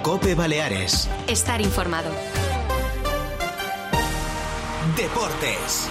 COPE Baleares. Estar informado. Deportes.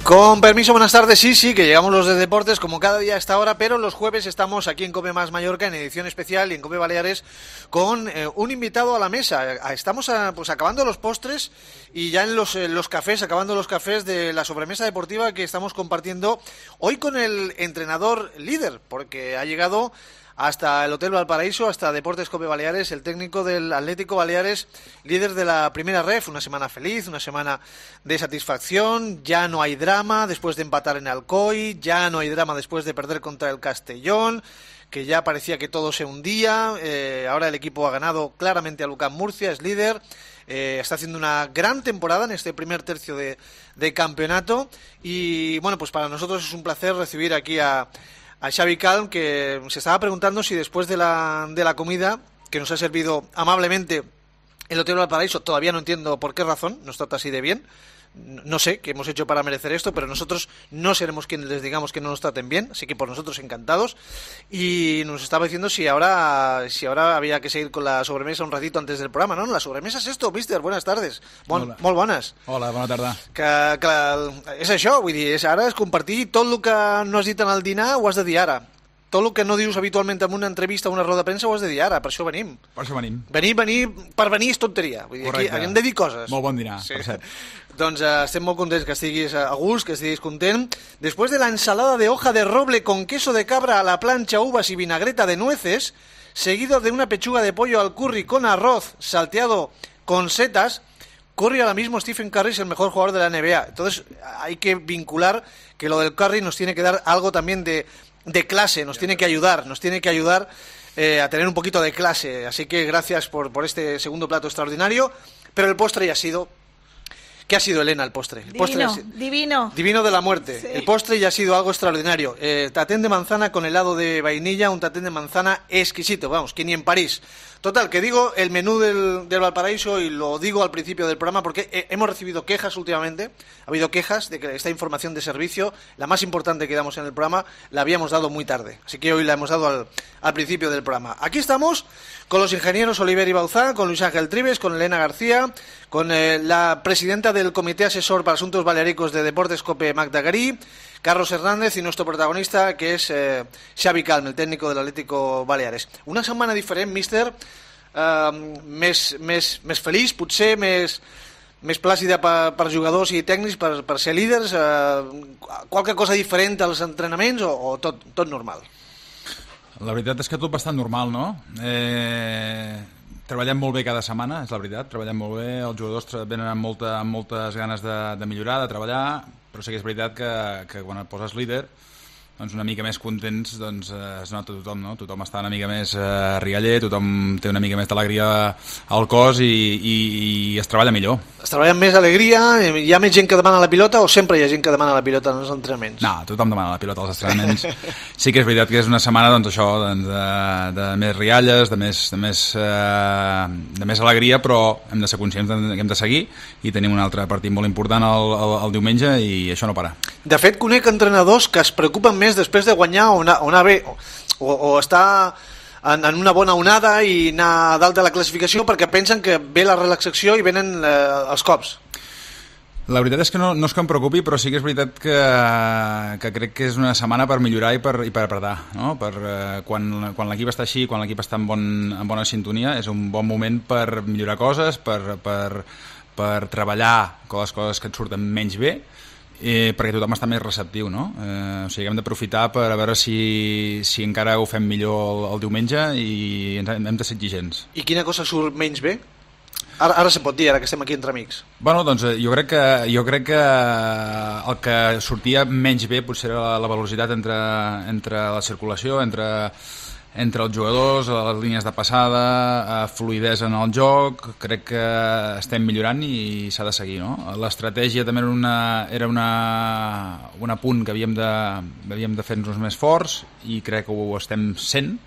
Con permiso, buenas tardes. Sí, que llegamos los de deportes como cada día a esta hora, pero los jueves estamos aquí en COPE Más Mallorca en edición especial y en COPE Baleares con un invitado a la mesa. Estamos acabando los postres y ya en los cafés, acabando los cafés de la sobremesa deportiva que estamos compartiendo hoy con el entrenador líder, porque ha llegado hasta el Hotel Valparaíso, hasta Deportes COPE Baleares, el técnico del Atlético Baleares, líder de la primera ref. Una semana feliz, una semana de satisfacción. Ya no hay drama después de empatar en Alcoy, ya no hay drama después de perder contra el Castellón, que ya parecía que todo se hundía. Ahora el equipo ha ganado claramente a UCAM Murcia, es líder. Está haciendo una gran temporada en este primer tercio de campeonato. Y bueno, pues para nosotros es un placer recibir aquí a Xavi Calm, que se estaba preguntando si después de la comida que nos ha servido amablemente el Hotel Valparaíso, todavía no entiendo por qué razón nos trata así de bien. No sé qué hemos hecho para merecer esto, pero nosotros no seremos quienes les digamos que no nos traten bien, así que por nosotros encantados. Y nos estaba diciendo si ahora había que seguir con la sobremesa un ratito antes del programa. No, la sobremesa és esto, mister, buenas tardes. Molt bones. Hola, bona tarda. Que és això, vull dir, ara és compartir tot el que no has dit en el dinar, ho has de dir ara. Tot el que no dius habitualment en una entrevista o una roda de premsa ho has de dir ara, per això venim. Per això venim. Per venir és tonteria. Vull dir, aquí hem de dir coses. Molt bon dinar, sí. Per cert. Doncs estem molt contents que estiguis a gust, que estiguis content. Después de la ensalada de hoja de roble con queso de cabra a la plancha, uvas y vinagreta de nueces, seguido de una pechuga de pollo al curry con arroz salteado con setas, Curry ahora mismo, Stephen Curry es el mejor jugador de la NBA. Entonces hay que vincular que lo del Curry nos tiene que dar algo también de clase, nos tiene que ayudar a tener un poquito de clase. Así que gracias por este segundo plato extraordinario. Pero el postre ya ha sido... ¿Qué ha sido, Elena, el postre? Divino. Divino de la muerte. Sí. El postre ya ha sido algo extraordinario. Tatén de manzana con helado de vainilla, un tatén de manzana exquisito, vamos, que ni en París. Total, que digo el menú del Valparaíso y lo digo al principio del programa porque hemos recibido quejas últimamente. Ha habido quejas de que esta información de servicio, la más importante que damos en el programa, la habíamos dado muy tarde. Así que hoy la hemos dado al principio del programa. Aquí estamos con los ingenieros Oliver y Bauzá, con Luis Ángel Trives, con Elena García, con la presidenta del Comité Asesor para Asuntos Baleáricos de Deportes COPE, Magda Garí, Carlos Hernández y nuestro protagonista, que es Xavi Calm, el técnico del Atlético Baleares. Una setmana diferent, míster, més feliç, potser més plàcida per jugadors i tècnics, per ser líders, qualque cosa diferent als entrenaments o tot normal? La veritat és que tot bastant normal, no? Treballem molt bé cada setmana, és la veritat, treballem molt bé, els jugadors venen amb moltes ganes de millorar, de treballar, però sí que és veritat que quan et poses líder, doncs una mica més contents, doncs es nota tothom, no? Tothom està una mica més rialler, tothom té una mica més d'alegria al cos i es treballa millor. Es treballa amb més alegria? Hi ha més gent que demana la pilota o sempre hi ha gent que demana la pilota en els entrenaments? No, tothom demana la pilota als entrenaments. Sí que és veritat que és una setmana, doncs això, de més rialles, de més alegria, però hem de ser conscients que hem de seguir i tenim un altre partit molt important el diumenge i això no para. De fet, conec entrenadors que es preocupen més després de guanyar o anar bé o estar en una bona onada i anar a dalt de la classificació perquè pensen que ve la relaxació i venen els cops. La veritat és que no és que em preocupi, però sí que és veritat que crec que és una setmana per millorar i per apretar, no? Quan l'equip està així, quan l'equip està en bona sintonia, és un bon moment per millorar coses, per treballar les coses que et surten menys bé, perquè tothom està més receptiu, no? O sigui, hem d'aprofitar per a veure si encara ho fem millor el diumenge i hem de ser exigents. I quina cosa surt menys bé? Ara se pot dir, ara que estem aquí entre amics. Bueno, doncs jo crec que el que sortia menys bé potser era la velocitat entre la circulació, entre els jugadors, les línies de passada, fluïdesa en el joc. Crec que estem millorant i s'ha de seguir, no? L'estratègia també era un punt que havíem de fer-nos més forts i crec que ho estem sent.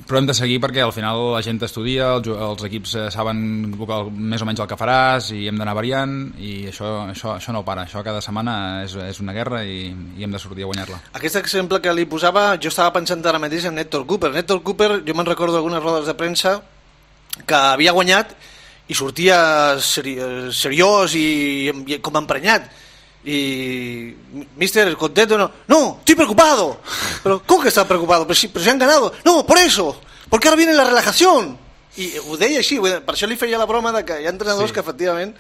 però hem de seguir perquè al final la gent estudia, els equips saben més o menys el que faràs i hem d'anar variant i això no para, això cada setmana és una guerra i hem de sortir a guanyar-la. Aquest exemple que li posava, jo estava pensant ara mateix en Héctor Cooper. Héctor Cooper, jo me'n recordo algunes rodes de premsa que havia guanyat i sortia seriós i com emprenyat. Y mister, contento, no, estoy preocupado. Pero ¿cómo que estás preocupado? Pero si han ganado. No, por eso, porque ahora viene la relajación. I ho deia així, per això li feia la broma de que hi ha entrenadors que efectivament...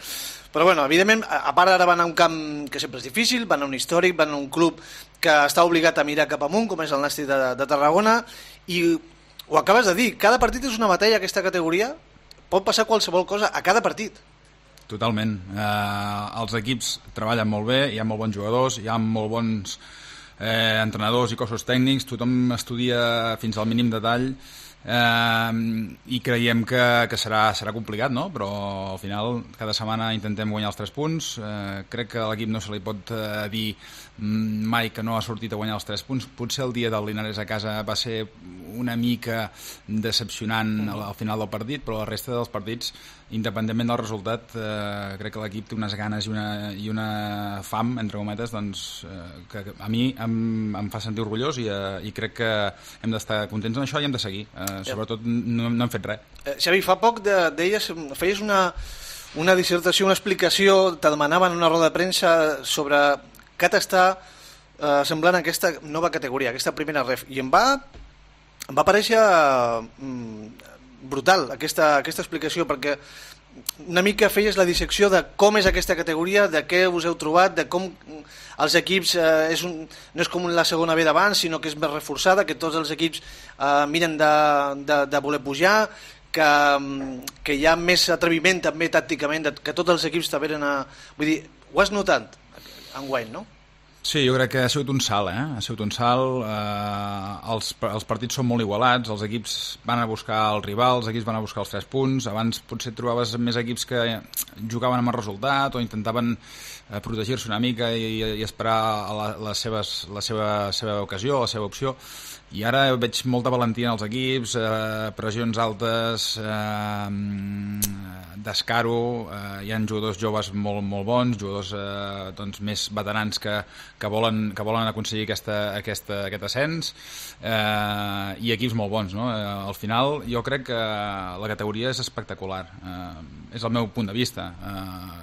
Però bueno, evidentment, a part ara van a un camp que sempre és difícil, van a un històric, van a un club que està obligat a mirar cap amunt, com és el Nàstic de Tarragona, i ho acabes de dir, cada partit és una batalla, aquesta categoria, pot passar qualsevol cosa a cada partit. Totalment. Els equips treballen molt bé, hi ha molt bons jugadors, hi ha molt bons entrenadors i cossos tècnics, tothom estudia fins al mínim detall i creiem que serà complicat, no? Però al final cada setmana intentem guanyar els 3 punts. Crec que a l'equip no se li pot dir mai que no ha sortit a guanyar els 3 punts. Potser el dia del Linares a casa va ser una mica decepcionant al final del partit, però la resta dels partits, independentment del resultat, crec que l'equip té unes ganes i una fam, entre cometes, doncs, que a mi em fa sentir orgullós i crec que hem d'estar contents en això i hem de seguir. Sobretot no hem fet res. Xavi, fa poc feies una dissertació, una explicació, te demanaven una roda de premsa sobre què t'està semblant aquesta nova categoria, aquesta primera ref, i em va parèixer brutal aquesta explicació, perquè una mica feies la dissecció de com és aquesta categoria, de què us heu trobat, de com els equips no és com la segona B d'abans, sinó que és més reforçada, que tots els equips miren de voler pujar, que hi ha més atreviment també tàcticament, que tots els equips també eren Vull dir, ho has notat enguany, no? Sí, jo crec que ha sigut un salt, ha sigut un salt. Els partits són molt igualats, els equips van a buscar el rival, els equips van a buscar els 3 punts. Abans potser trobaves més equips que jugaven amb el resultat o intentaven protegir-se una mica i esperar la seva ocasió, la seva opció. I ara veig molta valentia en els equips, pressions altes, descaro, hi ha jugadors joves molt bons, jugadors doncs, més veterans que volen aconseguir aquest ascens, i equips molt bons, no? Al final jo crec que la categoria és espectacular, és el meu punt de vista.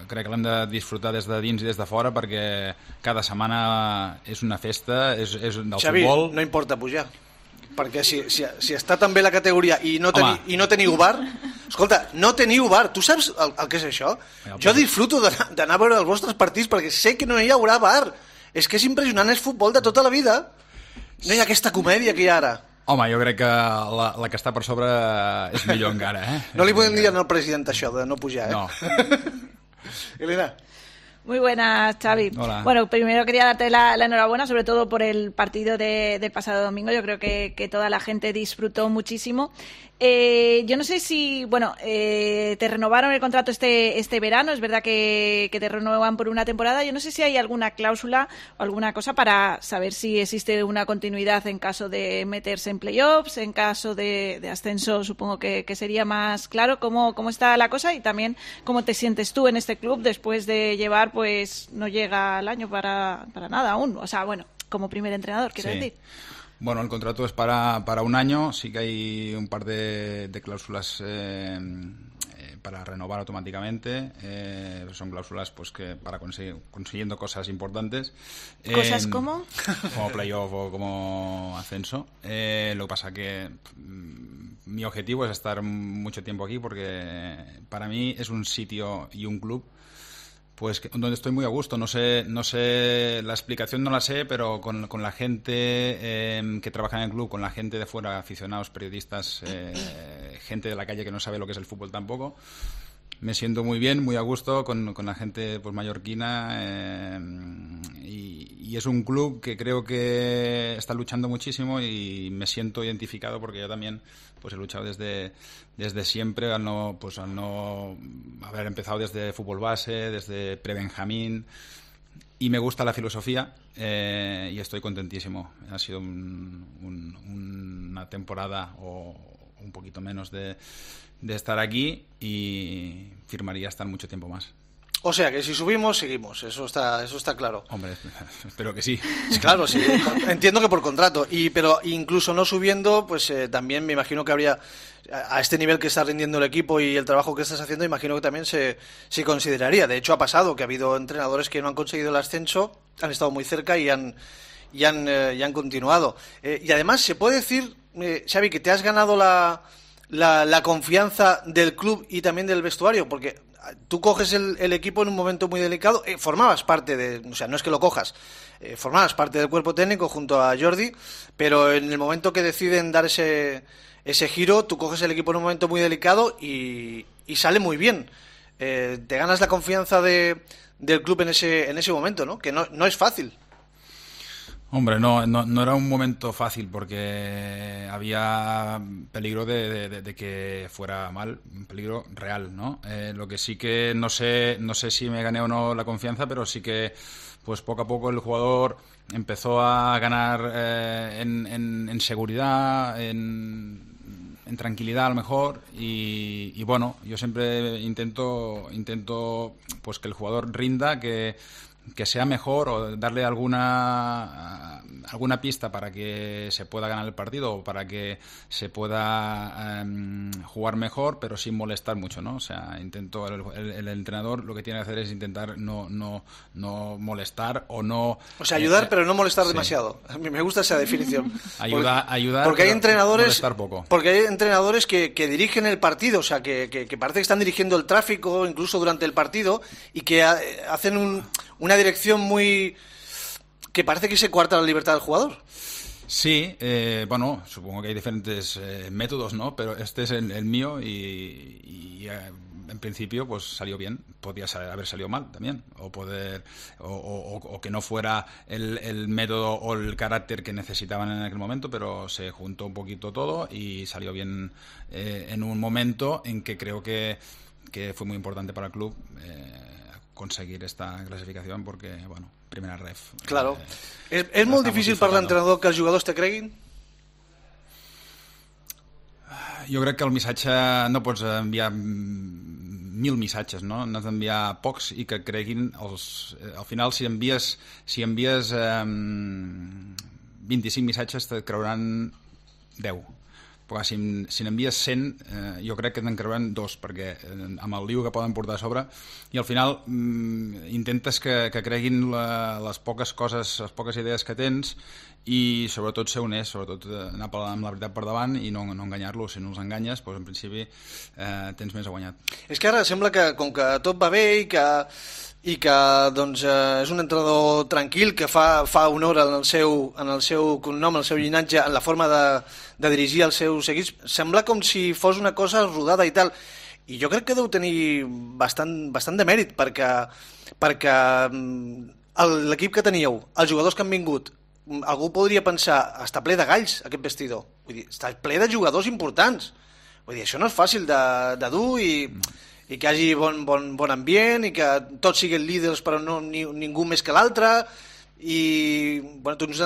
Crec que l'hem de disfrutar des de dins i des de fora perquè cada setmana és una festa, és del Xavi, futbol. No importa pujar, perquè si està tan bé la categoria i no teniu bar, escolta, no teniu bar, tu saps el que és això? Jo disfruto d'anar a veure els vostres partits perquè sé que no hi haurà bar, és que és impressionant, és futbol de tota la vida, no hi ha aquesta comèdia que hi ha ara. Home, jo crec que la que està per sobre és millor encara, No li podem dir al president això de no pujar, No. Elena. Muy buenas, Xavi. Hola. Bueno, primero quería darte la enhorabuena, sobre todo por el partido del pasado domingo. Yo creo que toda la gente disfrutó muchísimo. Yo no sé si, te renovaron el contrato este verano, es verdad que te renuevan por una temporada. Yo no sé si hay alguna cláusula o alguna cosa para saber si existe una continuidad en caso de meterse en playoffs, en caso de ascenso, supongo que sería más claro cómo está la cosa y también cómo te sientes tú en este club después de llevar, pues no llega el año para nada aún, o sea, como primer entrenador, quiero decir. Bueno, el contrato es para un año, sí que hay un par de cláusulas para renovar automáticamente, son cláusulas pues que para consiguiendo cosas importantes. ¿Cosas como? Como playoff o como ascenso. Lo que pasa que mi objetivo es estar mucho tiempo aquí porque para mí es un sitio y un club pues donde estoy muy a gusto. No sé, la explicación no la sé, pero con la gente que trabaja en el club, con la gente de fuera, aficionados, periodistas, gente de la calle que no sabe lo que es el fútbol tampoco, me siento muy bien, muy a gusto con la gente pues mallorquina, y es un club que creo que está luchando muchísimo y me siento identificado porque yo también pues he luchado desde siempre al no haber empezado desde fútbol base, desde pre-Benjamín, y me gusta la filosofía y estoy contentísimo. Ha sido un una temporada o un poquito menos de estar aquí y firmaría estar mucho tiempo más. O sea que si subimos, seguimos, eso está claro. Hombre, espero que sí. Claro, sí, entiendo que por contrato, pero incluso no subiendo, pues también me imagino que habría, a este nivel que está rindiendo el equipo y el trabajo que estás haciendo, imagino que también se consideraría. De hecho, ha pasado que ha habido entrenadores que no han conseguido el ascenso, han estado muy cerca y han continuado. Y además, se puede decir, Xavi, que te has ganado la confianza del club y también del vestuario, porque tú coges el equipo en un momento muy delicado, formabas parte o sea, no es que lo cojas, formabas parte del cuerpo técnico junto a Jordi, pero en el momento que deciden dar ese giro, tú coges el equipo en un momento muy delicado y sale muy bien. Te ganas la confianza del club en ese momento, ¿no? Que no es fácil. Hombre, no era un momento fácil porque había peligro de que fuera mal, un peligro real, ¿no? Lo que sí que no sé si me gané o no la confianza, pero sí que pues poco a poco el jugador empezó a ganar en seguridad, en tranquilidad a lo mejor y bueno, yo siempre intento pues que el jugador rinda, que sea mejor o darle alguna pista para que se pueda ganar el partido o para que se pueda jugar mejor, pero sin molestar mucho, ¿no? O sea, intento el entrenador lo que tiene que hacer es intentar no molestar o no... O sea, ayudar pero no molestar demasiado. A mí me gusta esa definición. Ayudar porque hay entrenadores, molestar poco. Porque hay entrenadores que dirigen el partido, o sea, que parece que están dirigiendo el tráfico incluso durante el partido y que hacen una dirección muy... que parece que se coarta la libertad del jugador. Sí, bueno, supongo que hay diferentes métodos, ¿no? Pero este es el mío y en principio pues salió bien. Podía haber salido mal también, o que no fuera el método o el carácter que necesitaban en aquel momento, pero se juntó un poquito todo y salió bien en un momento en que creo que fue muy importante para el club conseguir esta clasificación porque, bueno, primera ref. Claro. És molt difícil per l'entrenador que els jugadors te creguin? Jo crec que el missatge no pots enviar 1.000 missatges, no? N'has d'enviar pocs i que creguin al final si envies 25 missatges te creuran 10. Però si n'envies 100 jo crec que te'n creuran 2 perquè amb el lío que poden portar a sobre i al final intentes que creguin les poques coses, les poques idees que tens i sobretot ser honest, sobretot anar amb la veritat per davant i no enganyar-los. Si no els enganyes, doncs en principi tens més a guanyar. És que ara sembla que com que tot va bé i que doncs, és un entrenador tranquil que fa honor en el seu cognom, en el seu llinatge, en la forma de dirigir els seus equips, sembla com si fos una cosa rodada i tal, i jo crec que deu tenir bastant de mèrit perquè l'equip que teníeu, els jugadors que han vingut, algú podria pensar, està ple de galls aquest vestidor, vull dir, està ple de jugadors importants, vull dir, això no és fàcil de dur i que hi hagi bon ambient i que tots siguin líders però no ningú més que l'altre i bueno, tu ets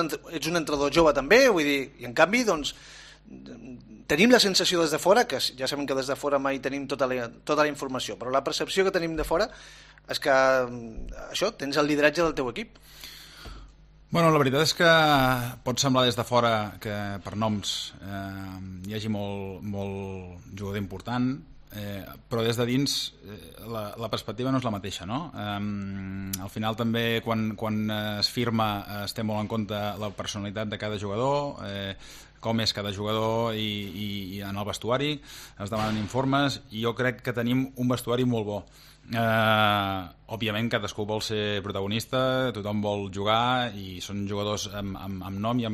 un entrenador jove també, vull dir, i en canvi doncs tenim la sensació des de fora, que ja sabem que des de fora mai tenim tota la informació, però la percepció que tenim de fora és que això, tens el lideratge del teu equip. Bueno, la veritat és que pot semblar des de fora que per noms hi hagi molt jugador important, però des de dins la perspectiva no és la mateixa, no? Al final també quan es firma es té molt en compte la personalitat de cada jugador, com és cada jugador i en el vestuari es demanen informes i jo crec que tenim un vestuari molt bo. Òbviament cadascú vol ser protagonista, tothom vol jugar i són jugadors amb nom i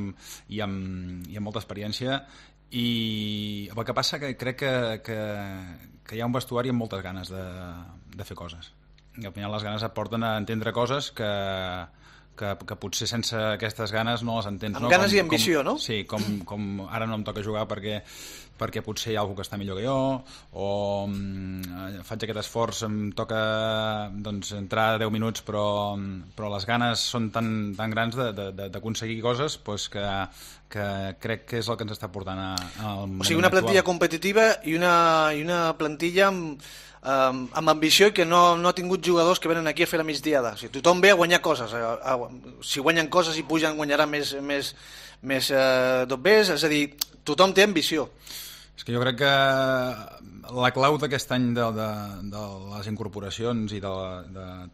amb molta experiència i el que passa que crec que hi ha un vestuari amb moltes ganes de fer coses i al final les ganes et porten a entendre coses que potser sense aquestes ganes no les entens. Amb ganes i ambició, no? Sí, com ara no em toca jugar perquè perquè potser hi ha algú que està millor que jo, o faig aquest esforç, em toca entrar 10 minuts, però les ganes són tan grans d'aconseguir coses que crec que és el que ens està portant al moment O sigui, una plantilla competitiva i una plantilla amb ambició i que no ha tingut jugadors que venen aquí a fer la migdiada. O sigui, tothom ve a guanyar coses. Si guanyen coses i pugen, guanyarà més dobbers. És a dir, tothom té ambició. És que jo crec que la clau d'aquest any de les incorporacions i de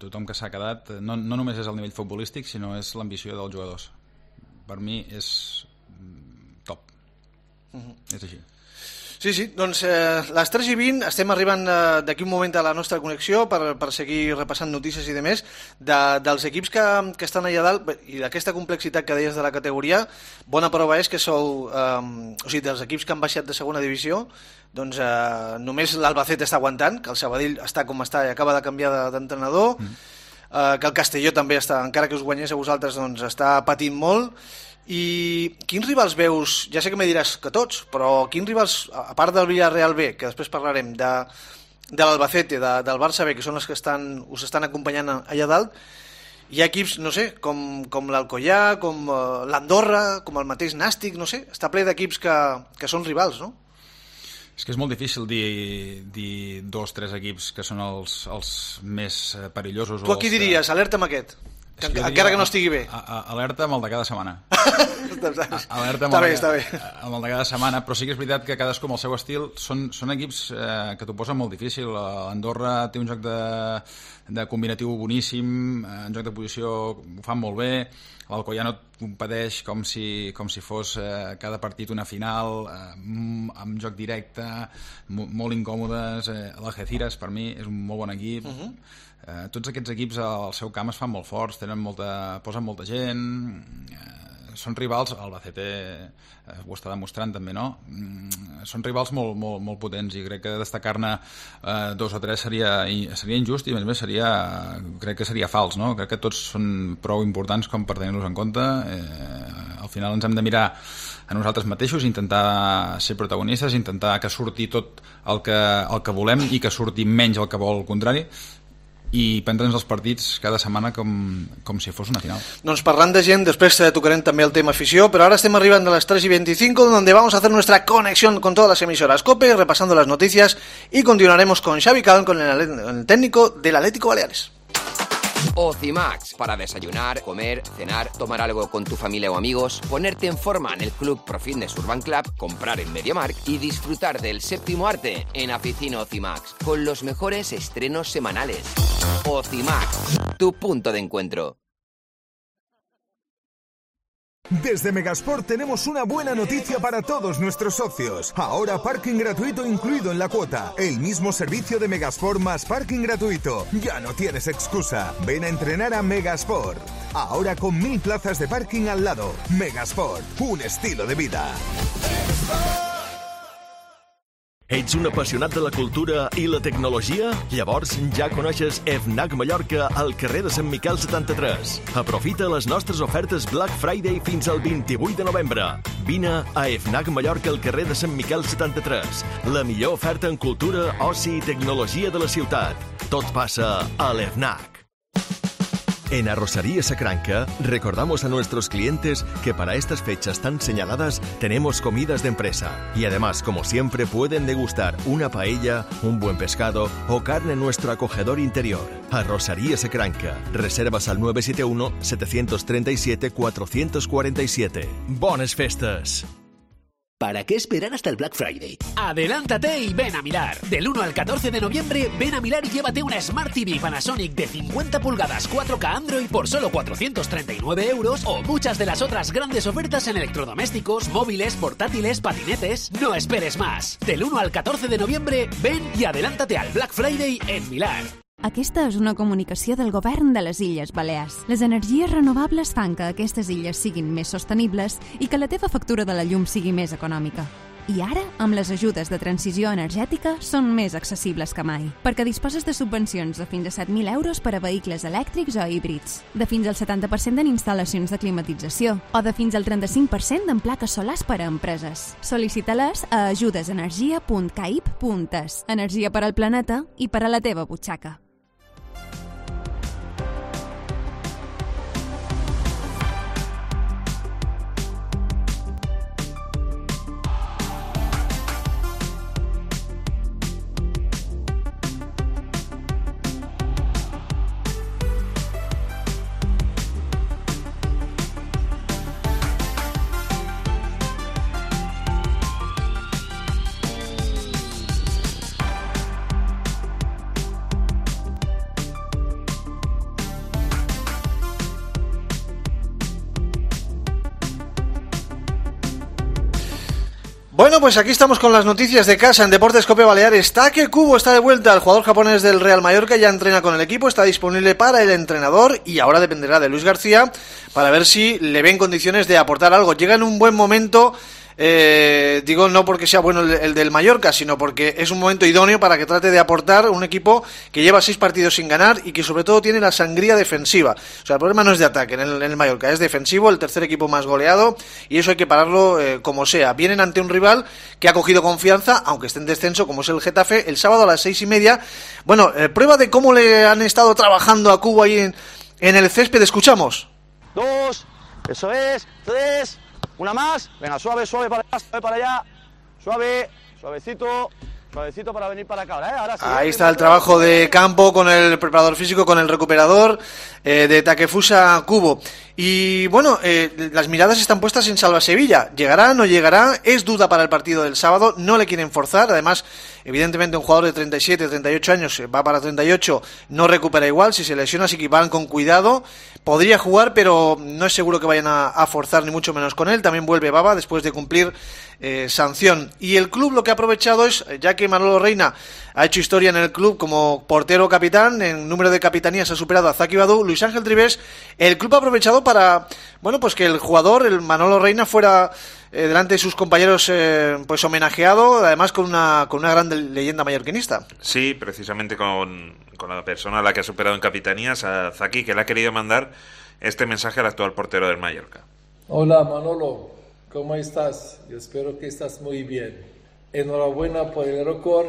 tothom que s'ha quedat no només és el nivell futbolístic, sinó és l'ambició dels jugadors. Per mi és top. És així. Sí, doncs les 3:20 estem arribant d'aquí un moment a la nostra connexió per seguir repassant notícies i demés dels equips que estan allà dalt i d'aquesta complexitat que deies de la categoria. Bona prova és que sou o sigui, dels equips que han baixat de segona divisió, doncs només l'Albacete està aguantant, que el Sabadell està com està i acaba de canviar d'entrenador, que el Castelló també està, encara que us guanyés a vosaltres, doncs està patint molt. I quins rivals veus, ja sé que me diràs que tots, però quins rivals, a part del Villarreal B, que després parlarem, de l'Albacete, del Barça B, que són els que us estan acompanyant allà dalt, hi ha equips, no sé, com l'Alcoyà, com l'Andorra, com el mateix Nàstic, no sé, està ple d'equips que són rivals, no? És que és molt difícil dir 2 o 3 equips que són els més perillosos. Tu aquí diries, alerta amb aquest. Encara que no estigui bé. Alerta amb el de cada setmana. Alerta amb està bé. Amb el de cada setmana, però sí que és veritat que cadascú amb el seu estil són equips que t'ho posen molt difícil. L'Andorra té un joc de combinatiu boníssim, en joc de posició ho fan molt bé, l'Alcoyà no competeix com si fos cada partit una final, amb joc directe, molt incòmodes. L'Algeciras per mi és un molt bon equip. Tots aquests equips al seu camp es fan molt forts, posen molta gent, són rivals, el Albacete ho està demostrant també, no? Són rivals molt potents i crec que destacar-ne 2 o 3 seria injust i a més crec que seria fals, no? Crec que tots són prou importants com per tenir-los en compte. Al final ens hem de mirar a nosaltres mateixos, intentar ser protagonistes, intentar que surti tot el que volem i que surti menys el que vol el contrari, i prendre'ns els partits cada setmana com si fos una final. Doncs parlant de gent, després tocarem també el tema afició, pero ahora estem arribando a las 3:25, donde vamos a hacer nuestra conexión con todas las emisoras COPE, repasando las noticias, y continuaremos con Xavi Calm, con el técnico del Atlético Baleares. Ocimax, para desayunar, comer, cenar, tomar algo con tu familia o amigos, ponerte en forma en el Club Pro Fitness Urban Club, comprar en MediaMarkt y disfrutar del séptimo arte en Oficina Ocimax, con los mejores estrenos semanales. Ocimax, tu punto de encuentro. Desde Megasport tenemos una buena noticia para todos nuestros socios. Ahora parking gratuito incluido en la cuota. El mismo servicio de Megasport más parking gratuito. Ya no tienes excusa. Ven a entrenar a Megasport. Ahora con 1000 plazas de parking al lado. Megasport, un estilo de vida. Ets un apassionat de la cultura i la tecnologia? Llavors ja coneixes FNAC Mallorca al carrer de Sant Miquel 73. Aprofita les nostres ofertes Black Friday fins al 28 de novembre. Vine a FNAC Mallorca al carrer de Sant Miquel 73. La millor oferta en cultura, oci i tecnologia de la ciutat. Tot passa a l'FNAC. En Arrocería Sacranca recordamos a nuestros clientes que para estas fechas tan señaladas tenemos comidas de empresa y además, como siempre, pueden degustar una paella, un buen pescado o carne en nuestro acogedor interior. Arrocería Sacranca. Reservas al 971 737 447. Bones festes! ¿Para qué esperar hasta el Black Friday? ¡Adelántate y ven a Milar! Del 1 al 14 de noviembre, ven a Milar y llévate una Smart TV Panasonic de 50 pulgadas 4K Android por solo 439 euros o muchas de las otras grandes ofertas en electrodomésticos, móviles, portátiles, patinetes. No esperes más. Del 1 al 14 de noviembre, ven y adelántate al Black Friday en Milar. Aquesta és una comunicació del govern de les Illes Balears. Les energies renovables fan que aquestes illes siguin més sostenibles i que la teva factura de la llum sigui més econòmica. I ara, amb les ajudes de transició energètica, són més accessibles que mai, perquè disposes de subvencions de fins a 7.000 euros per a vehicles elèctrics o híbrids, de fins al 70% en instal·lacions de climatització o de fins al 35% en plaques solars per a empreses. Sol·licita-les a ajudesenergia.caip.es. Energia per al planeta i per a la teva butxaca. Bueno, pues aquí estamos con las noticias de casa en Deportes Cope Baleares. Take Kubo está de vuelta. El jugador japonés del Real Mallorca ya entrena con el equipo, está disponible para el entrenador y ahora dependerá de Luis García para ver si le ve en condiciones de aportar algo. Llega en un buen momento, digo no porque sea bueno el del Mallorca, sino porque es un momento idóneo para que trate de aportar un equipo que lleva 6 partidos sin ganar y que sobre todo tiene la sangría defensiva. O sea, el problema no es de ataque en el Mallorca, es defensivo, el tercer equipo más goleado y eso hay que pararlo como sea. Vienen ante un rival que ha cogido confianza, aunque esté en descenso, como es el Getafe, el sábado a las 6:30. Bueno, prueba de cómo le han estado trabajando a Kubo ahí en el césped, escuchamos. 2, eso es, 3... Una más, venga, suave para allá, suavecito para venir para acá, ¿eh? Ahora sí, ahí está el trabajo de campo con el preparador físico, con el recuperador de Takefusa Kubo. Y bueno, las miradas están puestas en Salva Sevilla. ¿Llegará, no llegará? Es duda para el partido del sábado, no le quieren forzar. Además, evidentemente un jugador de 37, 38 años, va para 38, no recupera igual, si se lesiona, así que van con cuidado. Podría jugar, pero no es seguro que vayan a forzar, ni mucho menos con él. También vuelve Baba después de cumplir sanción. Y el club lo que ha aprovechado es, ya que Manolo Reina ha hecho historia en el club como portero capitán, en número de capitanías ha superado a Zaki Badu, Luis Ángel Tribés, el club ha aprovechado para, bueno, pues que el jugador, el Manolo Reina, fuera delante de sus compañeros pues homenajeado, además con una gran leyenda mallorquinista. Sí, precisamente con la persona a la que ha superado en capitanías, a Zaki, que le ha querido mandar este mensaje al actual portero del Mallorca. Hola Manolo, ¿cómo estás? Yo espero que estás muy bien. Enhorabuena por el récord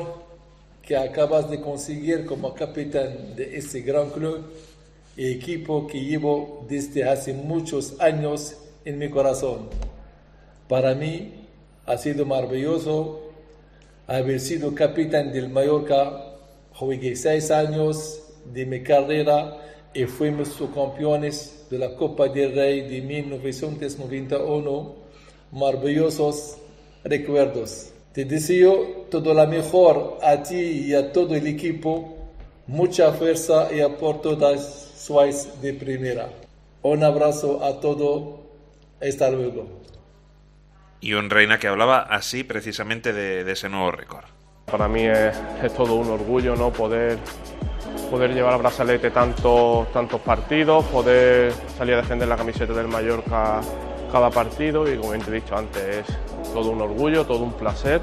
que acabas de conseguir como capitán de este gran club y equipo que llevo desde hace muchos años en mi corazón. Para mí ha sido maravilloso haber sido capitán del Mallorca. Jugué 6 años de mi carrera y fuimos subcampeones de la Copa del Rey de 1991. Maravillosos recuerdos. Te deseo todo lo mejor a ti y a todo el equipo. Mucha fuerza y por todas sois de primera. Un abrazo a todos. Hasta luego. Y un Reina que hablaba así precisamente de ese nuevo récord. Para mí es todo un orgullo, ¿no? Poder llevar al brazalete tantos partidos, poder salir a defender la camiseta del Mallorca cada partido y, como te he dicho antes, es todo un orgullo, todo un placer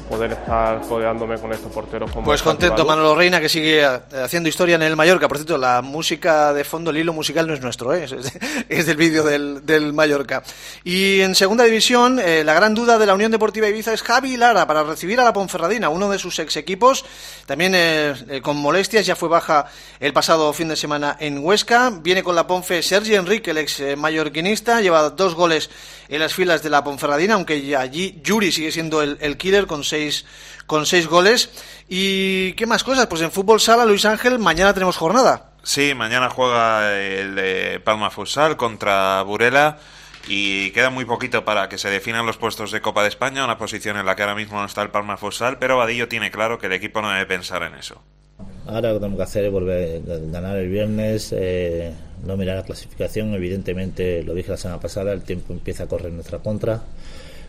poder estar codeándome con estos porteros como pues contento Manolo Reina, que sigue haciendo historia en el Mallorca. Por cierto, la música de fondo, el hilo musical no es nuestro, es del vídeo del Mallorca. Y en segunda división, la gran duda de la Unión Deportiva Ibiza es Javi Lara para recibir a la Ponferradina, uno de sus ex equipos, también con molestias, ya fue baja el pasado fin de semana en Huesca. Viene con la Ponfe Sergi Enrique, el ex mallorquinista, lleva 2 goles en las filas de la Ponferradina, aunque allí Yuri sigue siendo el killer con 6 goles. ¿Y qué más cosas? Pues en fútbol sala, Luis Ángel, mañana tenemos jornada. Sí, mañana juega el de Palma Futsal contra Burela y queda muy poquito para que se definan los puestos de Copa de España, una posición en la que ahora mismo no está el Palma Futsal, pero Vadillo tiene claro que el equipo no debe pensar en eso. Ahora lo que tenemos que hacer es volver a ganar el viernes, no mirar la clasificación. Evidentemente, lo dije la semana pasada, el tiempo empieza a correr en nuestra contra,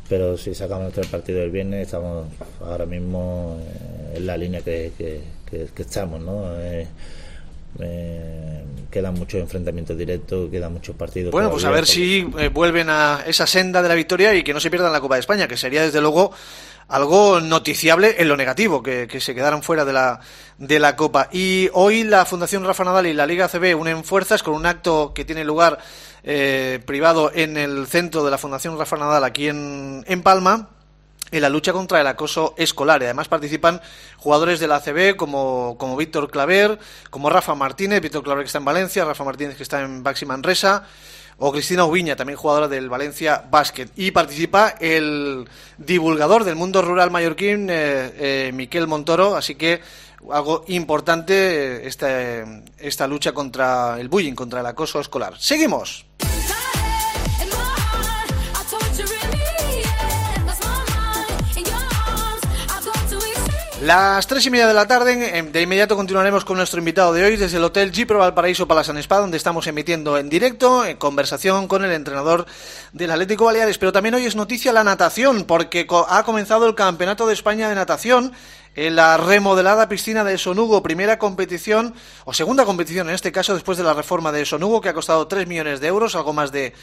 pero si sacamos nuestro partido del viernes estamos ahora mismo en la línea que estamos, ¿no? Quedan muchos enfrentamientos directos, quedan muchos partidos. Bueno, pues a ver si vuelven a esa senda de la victoria y que no se pierdan la Copa de España, que sería desde luego algo noticiable en lo negativo, que se quedaran fuera de la Copa. Y hoy la Fundación Rafa Nadal y la Liga ACB unen fuerzas con un acto que tiene lugar privado en el centro de la Fundación Rafa Nadal aquí en Palma, en la lucha contra el acoso escolar. Y además participan jugadores de la ACB como Víctor Claver, como Rafa Martínez, Víctor Claver que está en Valencia, Rafa Martínez que está en Baxi Manresa, o Cristina Ubiña, también jugadora del Valencia Basket. Y participa el divulgador del mundo rural mallorquín, Miquel Montoro, así que algo importante esta lucha contra el bullying, contra el acoso escolar. ¡Seguimos! Las 3:30 de la tarde, de inmediato continuaremos con nuestro invitado de hoy desde el Hotel Gipro Valparaíso Palace and Spa, donde estamos emitiendo en directo, en conversación con el entrenador del Atlético Baleares. Pero también hoy es noticia la natación, porque ha comenzado el Campeonato de España de Natación en la remodelada piscina de Sonugo, primera competición, o segunda competición en este caso, después de la reforma de Sonugo, que ha costado 3 millones de euros, algo más de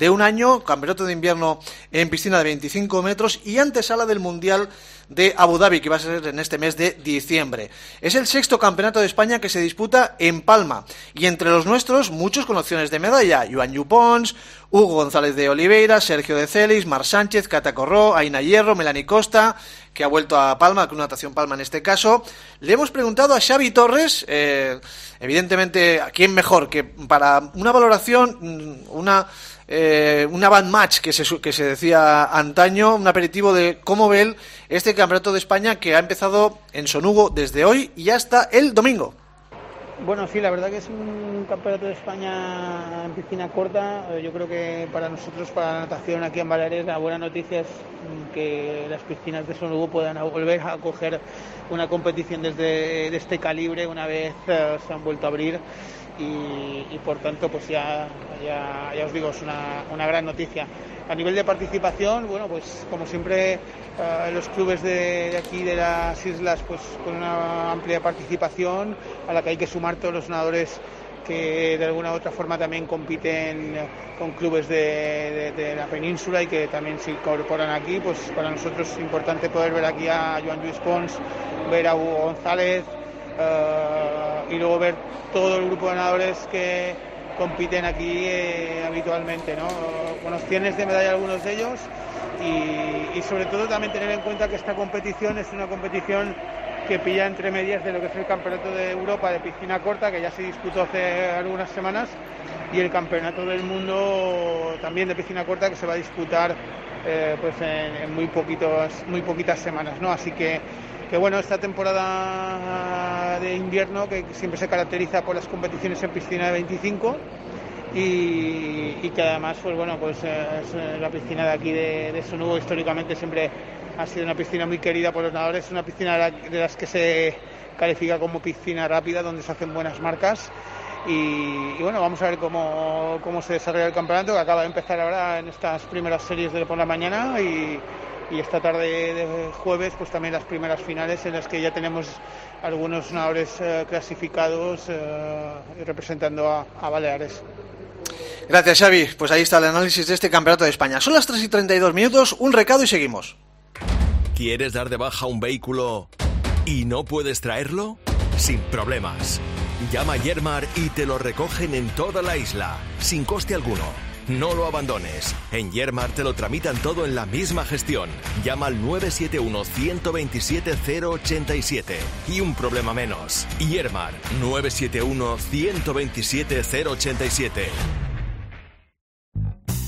un año, campeonato de invierno en piscina de 25 metros y antesala del Mundial de Abu Dhabi, que va a ser en este mes de diciembre. Es el 6º campeonato de España que se disputa en Palma, y entre los nuestros, muchos con opciones de medalla: Joan Yupons, Hugo González de Oliveira, Sergio de Celis, Mar Sánchez, Cata Corró, Aina Hierro, Melanie Costa, que ha vuelto a Palma, Club Natación Palma en este caso. Le hemos preguntado a Xavi Torres, evidentemente, ¿a quién mejor que para una valoración, una band match que se decía antaño, un aperitivo de cómo ve él este Campeonato de España que ha empezado en Sonugo desde hoy y hasta el domingo? Bueno, sí, la verdad que es un Campeonato de España en piscina corta. Yo creo que para nosotros, para la natación aquí en Baleares, la buena noticia es que las piscinas de Sonugo puedan volver a acoger una competición de este calibre una vez se han vuelto a abrir. Y por tanto, pues ya os digo, es una gran noticia. A nivel de participación, bueno, pues como siempre, los clubes de aquí de las islas, pues con una amplia participación a la que hay que sumar todos los nadadores que de alguna u otra forma también compiten con clubes de la península y que también se incorporan aquí. Pues para nosotros es importante poder ver aquí a Joan Lluís Pons, ver a Hugo González, y luego ver todo el grupo de nadadores que compiten aquí habitualmente, ¿no? Con opciones de medalla algunos de ellos y sobre todo también tener en cuenta que esta competición es una competición que pilla entre medias de lo que es el Campeonato de Europa de piscina corta, que ya se disputó hace algunas semanas, y el Campeonato del Mundo también de piscina corta, que se va a disputar pues en muy poquitas semanas, ¿no? Así que bueno, esta temporada de invierno, que siempre se caracteriza por las competiciones en piscina de 25 y que además, pues bueno, pues es la piscina de aquí de Sonugo históricamente siempre ha sido una piscina muy querida por los nadadores, es una piscina de las que se califica como piscina rápida, donde se hacen buenas marcas. Y bueno, vamos a ver cómo se desarrolla el campeonato, que acaba de empezar ahora en estas primeras series de por la mañana y esta tarde de jueves pues también las primeras finales en las que ya tenemos algunos nadadores clasificados representando a Baleares. Gracias, Xavi. Pues ahí está el análisis de este Campeonato de España. Son las 3:32, un recado y seguimos. ¿Quieres dar de baja un vehículo y no puedes traerlo? Sin problemas. Llama a Yermar y te lo recogen en toda la isla, sin coste alguno. No lo abandones. En Yermar te lo tramitan todo en la misma gestión. Llama al 971-127-087 y un problema menos. Yermar, 971-127-087.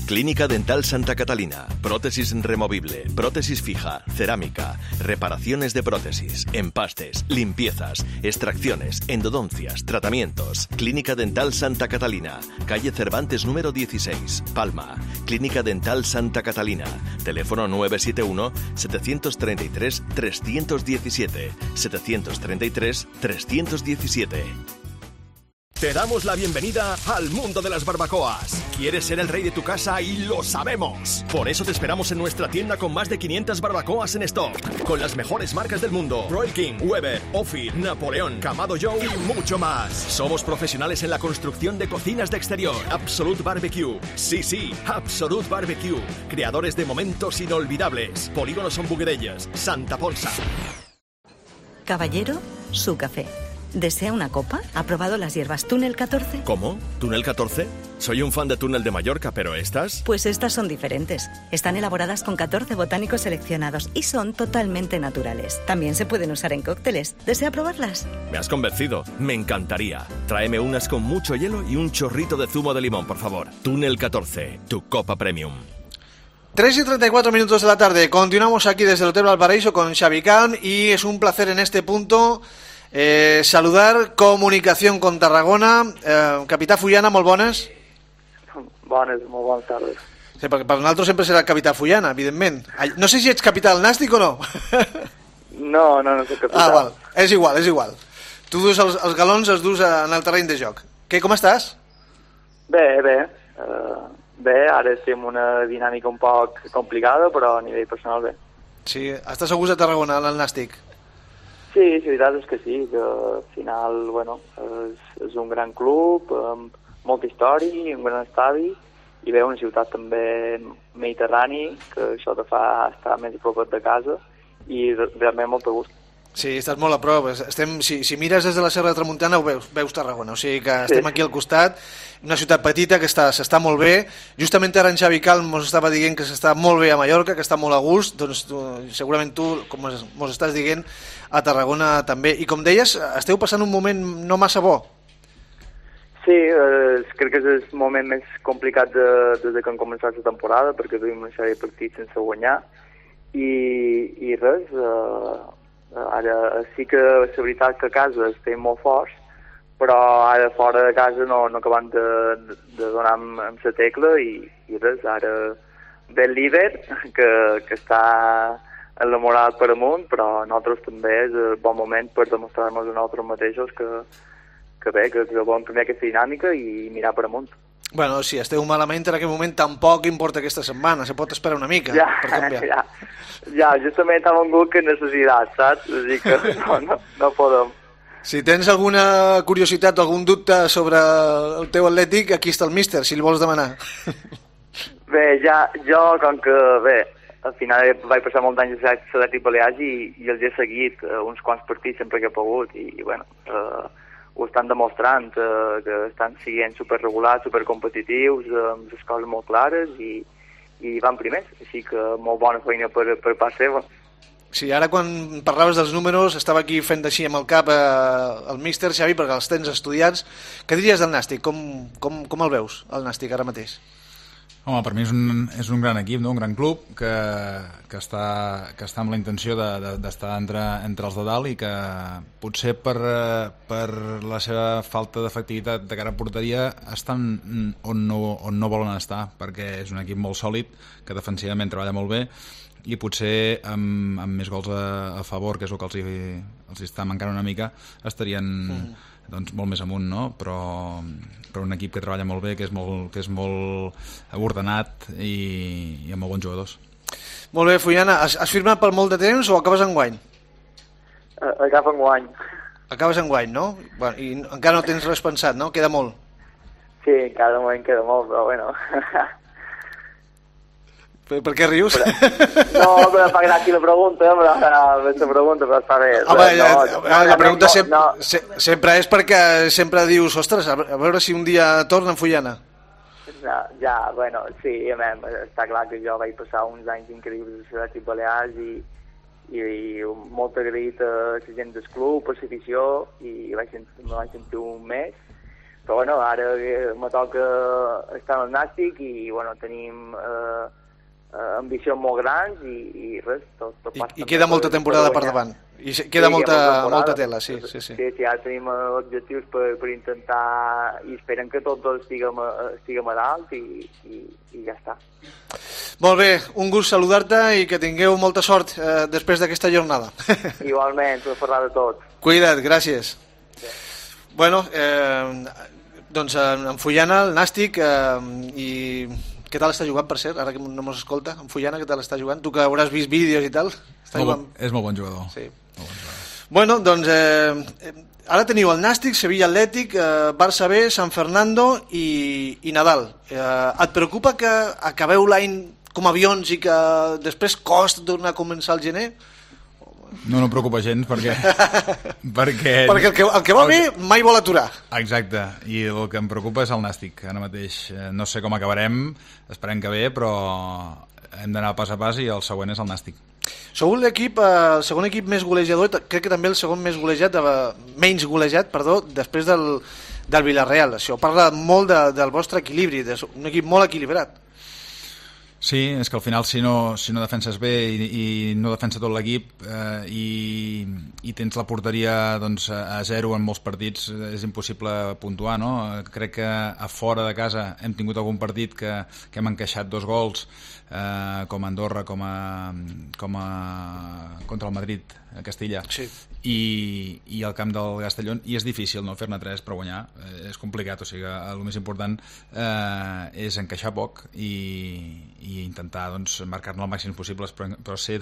Clínica Dental Santa Catalina. Prótesis removible, prótesis fija, cerámica, reparaciones de prótesis, empastes, limpiezas, extracciones, endodoncias, tratamientos. Clínica Dental Santa Catalina. Calle Cervantes número 16, Palma. Clínica Dental Santa Catalina. Teléfono 971-733-317. 733-317. Te damos la bienvenida al mundo de las barbacoas. ¿Quieres ser el rey de tu casa? Y lo sabemos. Por eso te esperamos en nuestra tienda con más de 500 barbacoas en stock, con las mejores marcas del mundo: Royal King, Weber, Ophir, Napoleón, Kamado Joe y mucho más. Somos profesionales en la construcción de cocinas de exterior. Absolute Barbecue. Sí, Absolute Barbecue. Creadores de momentos inolvidables. Polígono Son Buguerelles, Santa Ponsa. Caballero, su café. ¿Desea una copa? ¿Ha probado las hierbas Túnel 14? ¿Cómo? ¿Túnel 14? Soy un fan de Túnel de Mallorca, pero ¿estas? Pues estas son diferentes. Están elaboradas con 14 botánicos seleccionados y son totalmente naturales. También se pueden usar en cócteles. ¿Desea probarlas? Me has convencido. Me encantaría. Tráeme unas con mucho hielo y un chorrito de zumo de limón, por favor. Túnel 14, tu copa premium. 3:34 de la tarde. Continuamos aquí desde el Hotel Valparaíso con Xavi Calm y es un placer en este punto saludar Comunicación con Tarragona. Capità Fullana, molt bones. Bones, molt bones tardes. Sí, perquè per nosaltres sempre serà Capità Fullana, evidentment. No sé si ets capità del Nàstic o no. No soc capità. Val. És igual. Tu dus els galons, els dus en el terreny de joc. Com estàs? Bé. Bé, ara estem una dinàmica un poc complicada, però a nivell personal bé. Sí, estàs a gust a Tarragona, al Nàstic? Sí, la veritat és que sí, que al final, és un gran club, amb molta història, un gran estadi, i bé, una ciutat també mediterrani, que això te fa estar més a prop de casa, i realment molt a gust. Sí, estàs molt a prop. Si mires des de la Serra de Tramuntana veus Tarragona, o sigui que estem aquí al costat, una ciutat petita que s'està molt bé. Justament ara en Xavi Calm ens estava dient que s'està molt bé a Mallorca, que està molt a gust, doncs segurament tu, com ens estàs dient, a Tarragona també. I com deies, esteu passant un moment no massa bo. Sí, crec que és el moment més complicat des que han començat la temporada, perquè duim una sèrie de partits sense guanyar, i res, ara sí que la veritat que a casa estem molt forts, però ara fora de casa no acabem de donar amb la tecla i res, ara ve el líder que està enamorat per amunt, però nosaltres també és el bon moment per demostrar-nos a nosaltres mateixos que bé, que volem canviar aquesta dinàmica i mirar per amunt. Bueno, si esteu malament en aquest moment tampoc importa aquesta setmana, se pot esperar una mica per canviar. Ja, justament hem vingut que necessitat, saps? O sigui que no podem. Si tens alguna curiositat o algun dubte sobre el teu atlètic, aquí està el míster, si li vols demanar. Bé, jo, com que, al final vaig passar molt d'anys a l'Atlètic Balears i els he seguit uns quants partits sempre que he pogut i bueno, ho estan demostrant, que estan sent superregulats, supercompetitius, amb les coses molt clares i van primers, així que molt bona feina per part seva. Sí, ara quan parlaves dels números estava aquí fent així amb el cap el míster Xavi, perquè els tens estudiats. Què diries del Nàstic? Com el veus, el Nàstic, ara mateix? Home, per mi és un gran equip, no? Un gran club que està amb la intenció d'estar entre els de dalt i que potser per la seva falta d'efectivitat de cara a porteria estan on no volen estar, perquè és un equip molt sòlid, que defensivament treballa molt bé i potser amb més gols a favor, que és el que els està mancant una mica, estarien doncs molt més amunt, no? Però un equip que treballa molt bé, que és molt ordenat i amb molt bons jugadors. Molt bé, Fullana, has firmat per molt de temps o acabes enguany? Acaba enguany. Acabes enguany, no? Bueno, i encara no tens res pensat, no? Queda molt. Sí, encara de moment queda molt, però bueno. Per què rius? No, però fa gràcia la pregunta, però està bé. Home, la pregunta sempre és perquè sempre dius, ostres, a veure si un dia torna en Fullana. Ja, bueno, sí, està clar que jo vaig passar uns anys increïbles a l'Atlètic Balears i molt agraït a la gent del club, a l'afició, i me vaig sentir un mes. Però bueno, ara me toca estar al Nàstic i bueno, tenim ambicions molt grans i res, tot passa. I queda molta temporada per davant. I queda molta tela, sí. Sí, ara tenim objectius per intentar i esperem que tots dos estiguem a dalt i ja està. Molt bé, un gust saludar-te i que tingueu molta sort després d'aquesta jornada. Igualment, per parlar de tot. Cuida't, gràcies. Bueno, doncs en Fullana, el Nàstic, i què tal està jugant, per cert? Ara que no mos escolta, en Fullana, què tal està jugant? Tu que hauràs vist vídeos i tal. És molt bon jugador. Sí. Bueno, doncs ara teniu el Nàstic, Sevilla Atlètic, Barça B, San Fernando i Nadal. Et preocupa que acabeu l'any com avions i que després costa tornar a començar el gener? No em preocupa gens perquè el que va bé mai vol aturar. Exacte, i el que em preocupa és el Nàstic ara mateix. No sé com acabarem, esperem que bé, però hem d'anar pas a pas i el següent és el Nàstic. Sou l'equip, el segon equip més golejador, crec que també el segon més golejat, menys golejat, perdó, després del Villarreal. Això parla molt del vostre equilibri, un equip molt equilibrat. Sí, és que al final si no defenses bé i no defensa tot l'equip i tens la porteria doncs, a 0 en molts partits, és impossible puntuar, no? Crec que a fora de casa hem tingut algun partit que hem encaixat 2 gols, com a Andorra, com a contra el Madrid a Castilla, sí. i al camp del Castellón, i és difícil no fer-ne 3 per guanyar, és complicat, o sigui el més important és encaixar poc i intentar doncs, marcar-ne el màxim possible, però ser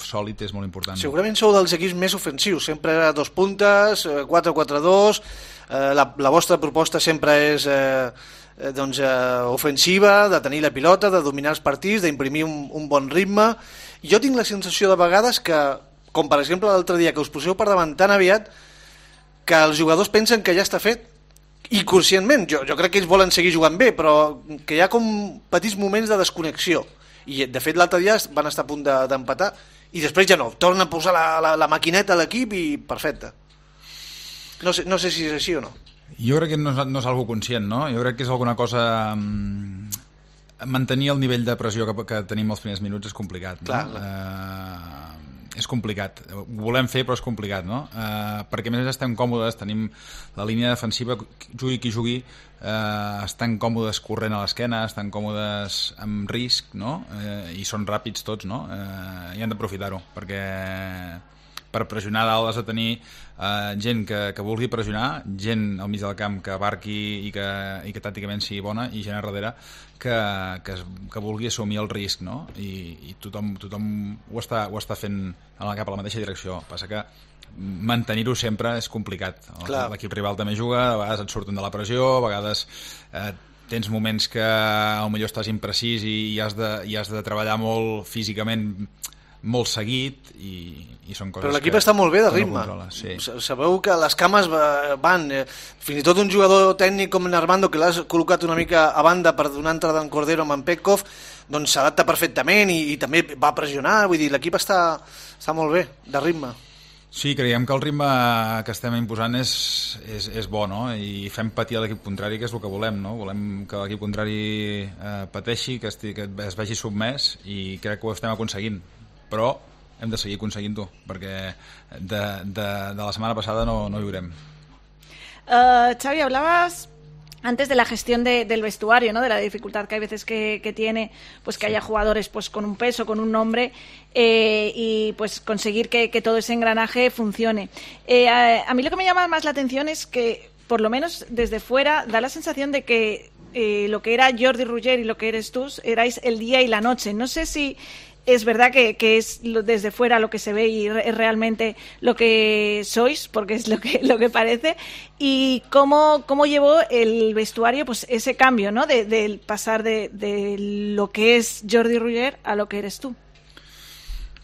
sòlid és molt important. Segurament sou dels equips més ofensius, sempre 2 puntes, 4-4-2, la vostra proposta sempre és ofensiva, de tenir la pilota, de dominar els partits, d'imprimir un bon ritme. Jo tinc la sensació de vegades que, com per exemple l'altre dia, que us poseu per davant tan aviat que els jugadors pensen que ja està fet, i conscientment, jo crec que ells volen seguir jugant bé, però que hi ha com petits moments de desconnexió, i de fet l'altre dia van estar a punt d'empatar i després ja no, tornen a posar la maquineta a l'equip i perfecte. No sé si és així o no. Jo crec que no és algo conscient, no? Jo crec que és alguna cosa... Mantenir el nivell de pressió que tenim els primers minuts és complicat. Clar, no? És complicat. Ho volem fer, però és complicat, no? Perquè a més estem còmodes, tenim la línia defensiva, jugui qui jugui, estan còmodes corrent a l'esquena, estan còmodes amb risc, no? I són ràpids tots, no? I han d'aprofitar-ho, perquè per pressionar dalt has de tenir gent que vulgui pressionar, gent al mig del camp que abarqui i que tàcticament sigui bona, i gent a darrere que vulgui assumir el risc, no? I tothom ho està fent cap a la mateixa direcció. Passa que mantenir-ho sempre és complicat. L'equip rival també juga, a vegades et surten de la pressió, a vegades tens moments que potser estàs imprecís i has de treballar molt físicament, molt seguit, i són coses. Però l'equip està molt bé de ritme. Sí. Sabeu que les cames van, fins i tot un jugador tècnic com Armando, que l'has col·locat una mica a banda per donar entrada en Cordero amb en Petkov, doncs s'adapta perfectament i també va pressionar, vull dir, l'equip està molt bé de ritme. Sí, creiem que el ritme que estem imposant és bo, no? I fem patir a l'equip contrari, que és el que volem, no? Volem que l'equip contrari pateixi, que es vegi submès, i crec que ho estem aconseguint. Però hem de seguir aconseguint-ho, perquè de la setmana pasada no viurem. Xavi, hablabas antes de la gestión del vestuario, ¿no? De la dificultad que hay veces que tiene, pues que haya jugadores pues con un peso, con un nombre, y pues conseguir que todo ese engranaje funcione. A mí lo que me llama más la atención es que, por lo menos desde fuera, da la sensación de que lo que era Jordi Ruller y lo que eres tú, erais el día y la noche. No sé si es verdad que es desde fuera lo que se ve y es realmente lo que sois, porque es lo que parece, y cómo llevó el vestuario pues ese cambio, ¿no? Del pasar de lo que es Jordi Ruller a lo que eres tú.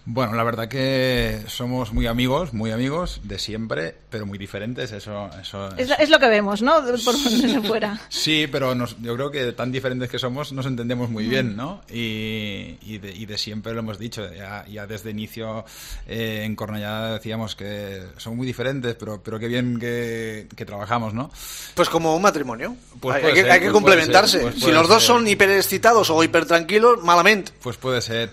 Bueno, la verdad que somos muy amigos de siempre, pero muy diferentes. Eso es lo que vemos, ¿no? Por desde fuera. Sí, pero yo creo que tan diferentes que somos nos entendemos muy bien, ¿no? Y de siempre lo hemos dicho. Ya desde inicio en Cornellá decíamos que son muy diferentes, pero qué bien que trabajamos, ¿no? Pues como un matrimonio. Pues hay que complementarse. Si los dos son hiperexcitados o hipertranquilos, malamente. Pues puede ser.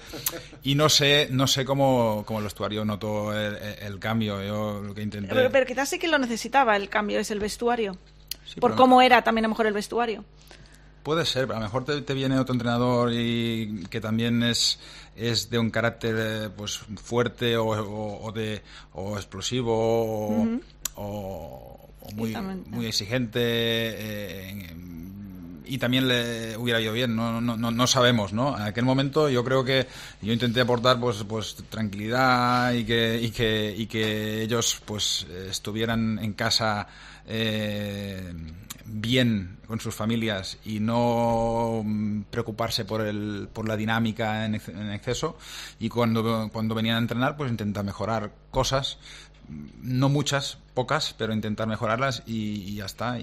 Y no sé cómo el vestuario notó el cambio. Yo lo que intenté... Pero quizás sí que lo necesitaba el cambio, es el vestuario. Sí, por cómo era también a lo mejor el vestuario. Puede ser, a lo mejor te viene otro entrenador y que también es de un carácter pues fuerte o explosivo o muy exigente, y también le hubiera ido bien, no sabemos, ¿no? En aquel momento yo creo que yo intenté aportar pues tranquilidad y que ellos pues estuvieran en casa bien con sus familias y no preocuparse por la dinámica en exceso, y cuando venían a entrenar pues intentar mejorar cosas, no muchas, pocas, pero intentar mejorarlas y ya está.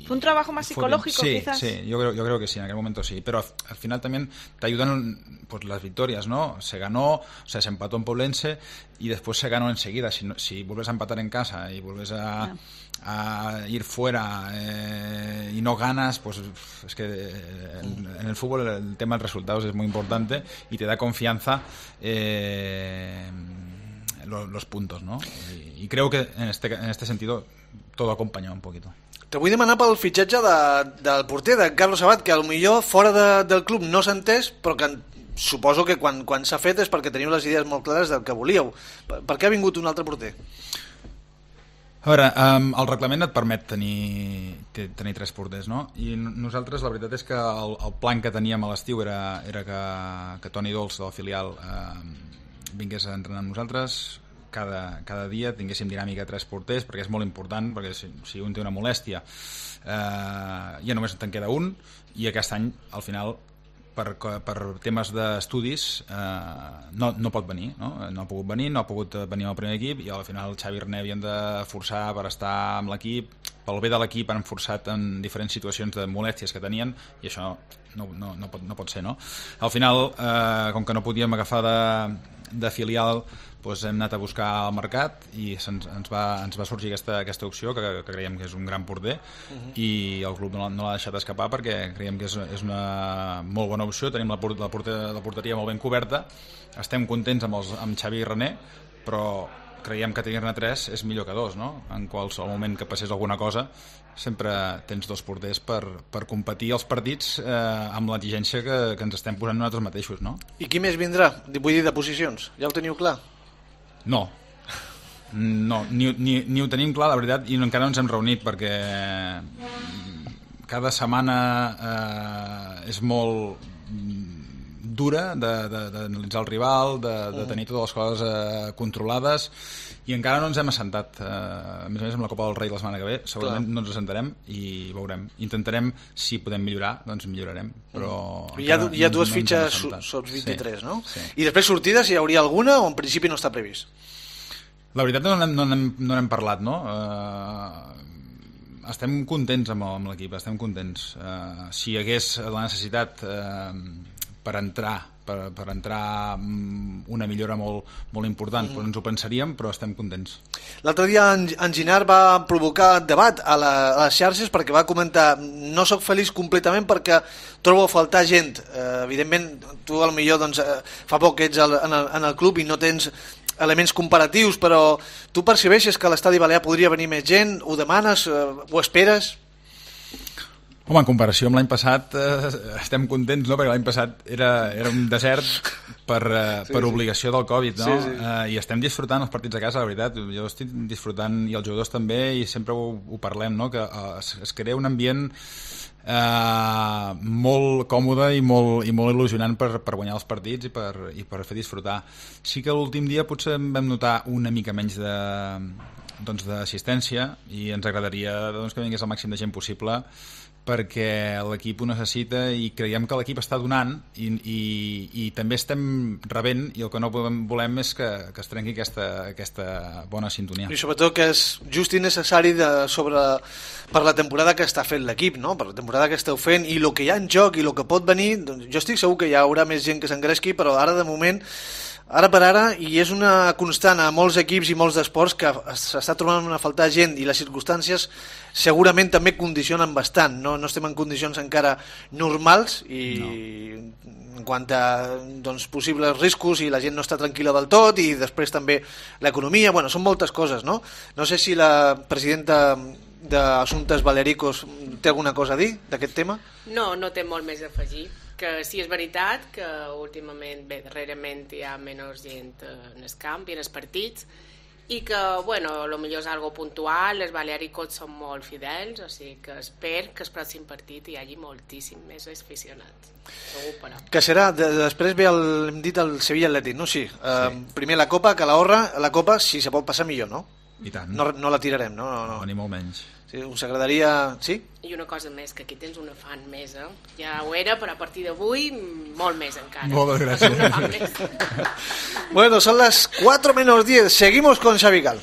¿Fue un trabajo más psicológico, quizás? Sí, yo creo que sí, en aquel momento sí, pero al final también te ayudan pues las victorias, ¿no? Se ganó, o sea, se empató en Poblense y después se ganó enseguida. Si vuelves a empatar en casa y vuelves a ir fuera y no ganas, pues es que en el fútbol el tema de los resultados es muy importante y te da confianza los puntos, ¿no? I creo que en este sentido todo acompaña un poquito. Te vull demanar pel fitxatge del porter, de Carlos Abad, que potser fora del club no s'ha entès, però que suposo que quan s'ha fet és perquè teniu les idees molt clares del que volíeu. Per què ha vingut un altre porter? A veure, el reglament et permet tenir 3 porters, no? I nosaltres la veritat és que el plan que teníem a l'estiu era que Toni Dols, del filial, vingués a entrenar amb nosaltres cada dia, tinguéssim dinàmica de 3 porters, perquè és molt important, perquè si un té una molèstia ja només te'n queda un, i aquest any al final per temes d'estudis no pot venir, no ha pogut venir, no ha pogut venir al primer equip, i al final el Xavi i René havien de forçar per estar amb l'equip. Pel bé de l'equip han forçat en diferents situacions de molèsties que tenien, i això no pot ser, no? Al final, com que no podíem agafar de filial, doncs hem anat a buscar al mercat i ens va sorgir aquesta opció, que creiem que és un gran porter, i el club no l'ha deixat escapar perquè creiem que és una molt bona opció. Tenim la porteria molt ben coberta, estem contents amb Xavi i René, però creiem que tenir-ne 3 és millor que 2, no? En qualsevol moment que passés alguna cosa sempre tens 2 porters per competir els partits amb l'exigència que ens estem posant nosaltres mateixos, no? I qui més vindrà? Vull dir, de posicions. Ja ho teniu clar? No, ni ho tenim clar, la veritat, i encara no ens hem reunit perquè cada setmana és molt dura d'analitzar el rival, de tenir totes les coses controlades, i encara no ens hem assentat. A més amb la Copa del Rei la setmana que ve segurament no ens assentarem i veurem. Intentarem, si podem millorar, doncs millorarem, però hi ha 2 fitxes sota 23, no? I després sortides, hi hauria alguna o en principi no està previst? La veritat no n'hem parlat, no? Estem contents amb l'equip, estem contents. Si hi hagués la necessitat per entrar una millora molt important, doncs ens ho pensaríem, però estem contents. L'altre dia en Ginard va provocar debat a les xarxes perquè va comentar: no sóc feliç completament perquè trobo a faltar gent. Evidentment, tu potser fa poc que ets en el club i no tens elements comparatius, però tu percebeixes que a l'estadi balear podria venir més gent? Ho demanes? Ho esperes? Home, en comparació amb l'any passat estem contents, no? Perquè l'any passat era un desert per obligació del Covid, no? I estem disfrutant els partits a casa, la veritat. Jo estic disfrutant, i els jugadors també, i sempre ho parlem, no? Que es crea un ambient molt còmode i molt il·lusionant per guanyar els partits i per fer disfrutar. Sí que l'últim dia potser vam notar una mica menys d'assistència, i ens agradaria que vingués el màxim de gent possible, perquè l'equip ho necessita i creiem que l'equip està donant i també estem rebent, i el que no volem és que es trenqui aquesta bona sintonia. I sobretot que és just i necessari per la temporada que està fent l'equip, no? Per la temporada que esteu fent i el que hi ha en joc i el que pot venir. Doncs jo estic segur que hi haurà més gent que s'engresqui, però ara de moment, ara per ara, i és una constant a molts equips i molts esports, que s'està trobant a faltar gent, i les circumstàncies segurament també condicionen bastant. No estem en condicions encara normals en quant a possibles riscos, i la gent no està tranquil·la del tot, i després també l'economia. Bueno, són moltes coses, no? No sé si la presidenta d'Assumptes Balearicos té alguna cosa a dir d'aquest tema? No té molt més a afegir. Que sí, és veritat que últimament, darrerament hi ha menys gent en el camp i en els partits, i que, bueno, lo millor és algo puntual, els balearicots són molt fidels, o sigui que espero que el pròxim partit hi hagi moltíssim més aficionats. Segur, però. Que serà, després ve hem dit el Sevilla Atlètic, no? Sí. Primer la Copa, Calahorra, la Copa, si se pot passar millor, no? I tant. No la tirarem, no? Ni molt menys. Sí, us agradaria... Sí? I una cosa més, que aquí tens una fan més, Ja ho era, però a partir d'avui molt més encara. Moltes gràcies. Una fan més. Bueno, son las 4:10. Seguimos con Xavi Cal.